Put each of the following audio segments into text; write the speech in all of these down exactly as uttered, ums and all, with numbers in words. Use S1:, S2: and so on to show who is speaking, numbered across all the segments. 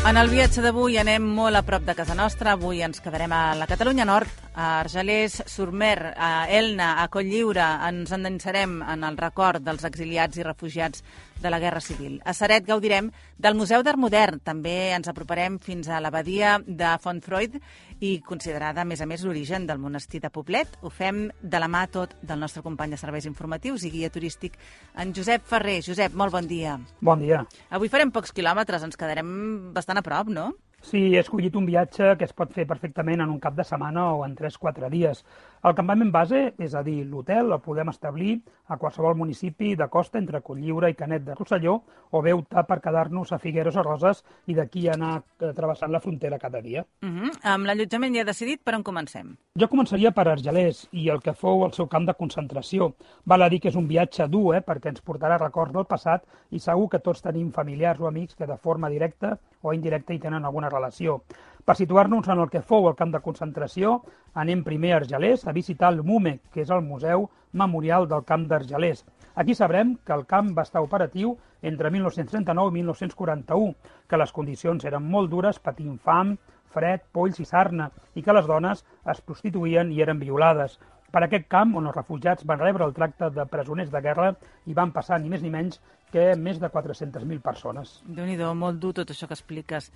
S1: En el viatge d'avui anem molt a prop de casa nostra. Avui ens quedarem a la Catalunya Nord, a Argelers, Surmer, a Elna, a Cotlliure. Ens endinsarem en el record dels exiliats i refugiats de la Guerra Civil. A Ceret gaudirem del Museu d'Art Modern. També ens aproparem fins a l'abadia de Fontfroide i considerada, a més a més, l'origen del monestir de Poblet. Ho fem de la mà tot del nostre company de serveis informatius i guia turístic, en Josep Ferrer. Josep, molt bon dia.
S2: Bon dia.
S1: Avui farem pocs quilòmetres, ens quedarem bastant a prop, no?
S2: Sí, he escollit un viatge que es pot fer perfectament en un cap de setmana o en tres o quatre dies. El campament base, és a dir, l'hotel, el podem establir a qualsevol municipi de costa entre Cotlliure i Canet de Rosselló, o bé optar per quedar-nos a Figueres o Roses i d'aquí anar travessant la frontera cada dia.
S1: Uh -huh. Amb l'allotjament ja he decidit per on comencem.
S2: Jo començaria per Argelers i el que fou el seu camp de concentració. Val a dir que és un viatge dur, eh, perquè ens portarà records del passat i segur que tots tenim familiars o amics que de forma directa o indirecta hi tenen alguna relació. Per situar-nos en el que fou el camp de concentració, anem primer a Argelers a visitar el MUME, que és el Museu Memorial del Camp d'Argelers. Aquí sabrem que el camp va estar operatiu entre mil nou-cents trenta-nou i mil nou-cents quaranta-u, que les condicions eren molt dures, patint fam, fred, polls i sarna, i que les dones es prostituïen i eren violades. Per aquest camp, on els refugiats van rebre el tracte de presoners de guerra, hi van passar ni més ni menys que més de quatre-centes mil persones.
S1: Déu-n'hi-do, molt dur tot això que expliques.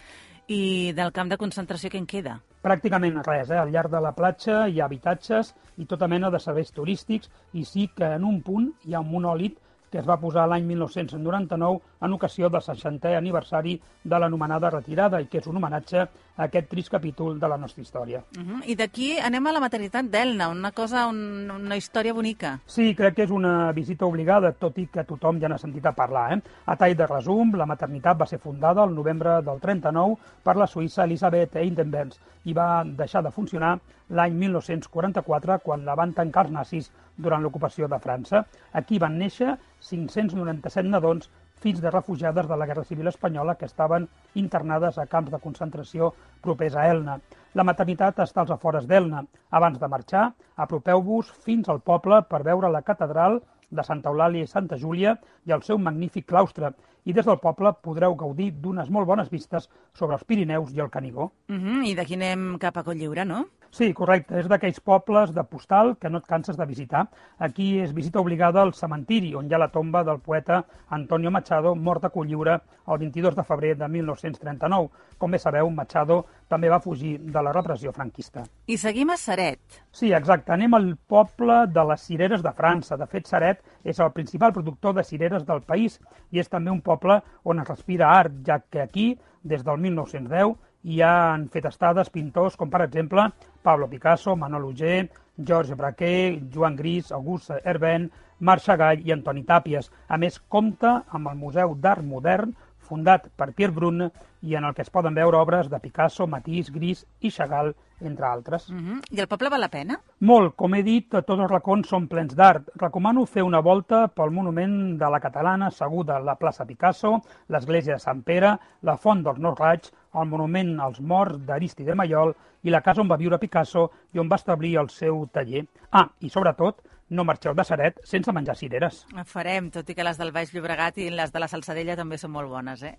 S1: I del camp de concentració què en queda?
S2: Pràcticament res, eh? Al llarg de la platja hi ha habitatges i tota mena de serveis turístics, i sí que en un punt hi ha un monòlit que es va posar l'any mil nou-cents noranta-nou en ocasió del seixantè aniversari de l'anomenada retirada, i que és un homenatge a aquest trist capítol de la nostra història.
S1: Uh -huh. I d'aquí anem a la maternitat d'Elna, una cosa, un, una història bonica.
S2: Sí, crec que és una visita obligada, tot i que tothom ja n'ha sentit a parlar. Eh? A tall de resum, la maternitat va ser fundada el novembre del trenta-nou per la suïssa Elisabeth Eidenbenz i va deixar de funcionar l'any mil nou-cents quaranta-quatre, quan la van tancar els nazis durant l'ocupació de França. Aquí van néixer cinc-cents noranta-set nadons, fills de refugiades de la Guerra Civil Espanyola que estaven internades a camps de concentració propers a Elna. La maternitat està als afores d'Elna. Abans de marxar, apropeu-vos fins al poble per veure la catedral de Santa Eulàlia i Santa Júlia i el seu magnífic claustre, i des del poble podreu gaudir d'unes molt bones vistes sobre els Pirineus i el Canigó.
S1: Uh -huh. I d'aquí anem cap a Cotlliure, no?
S2: Sí, correcte. És d'aquells pobles de postal que no et canses de visitar. Aquí és visita obligada al cementiri, on hi ha la tomba del poeta Antonio Machado, mort a Cotlliure el vint-i-dos de febrer de mil nou-cents trenta-nou. Com bé sabeu, Machado també va fugir de la repressió franquista.
S1: I seguim a Ceret.
S2: Sí, exacte. Anem al poble de les cireres de França. De fet, Ceret és el principal productor de cireres del país i és també un poble on es respira art, ja que aquí, des del mil nou-cents deu, hi han fet estades pintors com, per exemple, Pablo Picasso, Manol Auger, Georges Braquer, Joan Gris, Auguste Herbin, Marc Chagall i Antoni Tàpies. A més, compta amb el Museu d'Art Modern, fundat per Pierre Brune, i en el que es poden veure obres de Picasso, Matisse, Gris i Chagall, entre altres.
S1: Uh -huh. I el poble val la pena?
S2: Molt. Com he dit, tots els racons són plens d'art. Recomano fer una volta pel monument de la Catalana, asseguda a la plaça Picasso, l'església de Sant Pere, la font dels Nou Raigs, el monument als morts d'Aristide Maillol i la casa on va viure Picasso i on va establir el seu taller. Ah, i sobretot, no marxeu de Ceret sense menjar cireres.
S1: Ho farem, tot i que les del Baix Llobregat i les de la Salzadella també són molt bones, eh?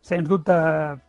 S2: Sens dubte,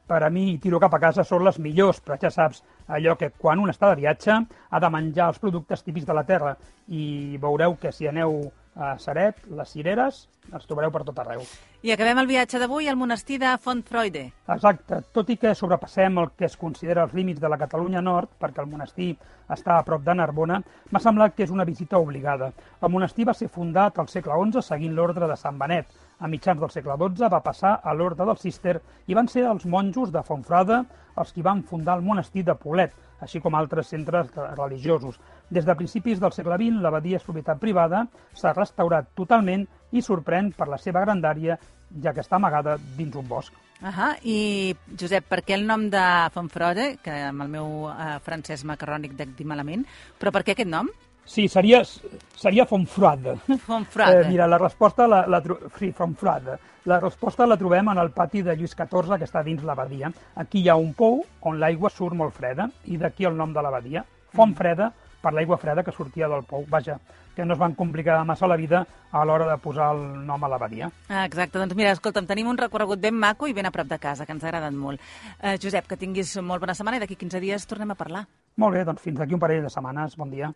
S2: per a mi, tiro cap a casa són les millors, però ja saps, allò que quan un està de viatge ha de menjar els productes típics de la terra, i veureu que si aneu a Ceret, les cireres, els trobareu per tot arreu.
S1: I acabem el viatge d'avui al monestir de Fontfroide.
S2: Exacte. Tot i que sobrepassem el que es considera els límits de la Catalunya Nord, perquè el monestir està a prop de Narbona, m'ha semblat que és una visita obligada. El monestir va ser fundat al segle onze seguint l'ordre de Sant Benet. A mitjans del segle dotze va passar a l'ordre del Cister i van ser els monjos de Fontfroide els qui van fundar el monestir de Poblet, així com altres centres religiosos. Des de principis del segle vint, l'abadia és propietat privada, s'ha restaurat totalment i sorprèn per la seva grandària, ja que està amagada dins un bosc.
S1: Ahà. I, Josep, per què el nom de Fontfroide, que amb el meu eh, francès macarrònic dec dir malament, però per què aquest nom?
S2: Sí, seria, seria Fontfroide.
S1: Fontfroide.
S2: Eh, mira, la resposta la, la, sí, Fontfroide. La resposta la trobem en el pati de Lluís catorze, que està dins l'abadia. Aquí hi ha un pou on l'aigua surt molt freda, i d'aquí el nom de l'abadia. Font freda per l'aigua freda que sortia del pou. Vaja, que no es van complicar massa la vida a l'hora de posar el nom a l'abadia.
S1: Ah, exacte, doncs mira, escolta'm, tenim un recorregut ben maco i ben a prop de casa, que ens ha agradat molt. Eh, Josep, que tinguis molt bona setmana i d'aquí quinze dies tornem a parlar.
S2: Molt bé, doncs fins d'aquí un parell de setmanes. Bon dia.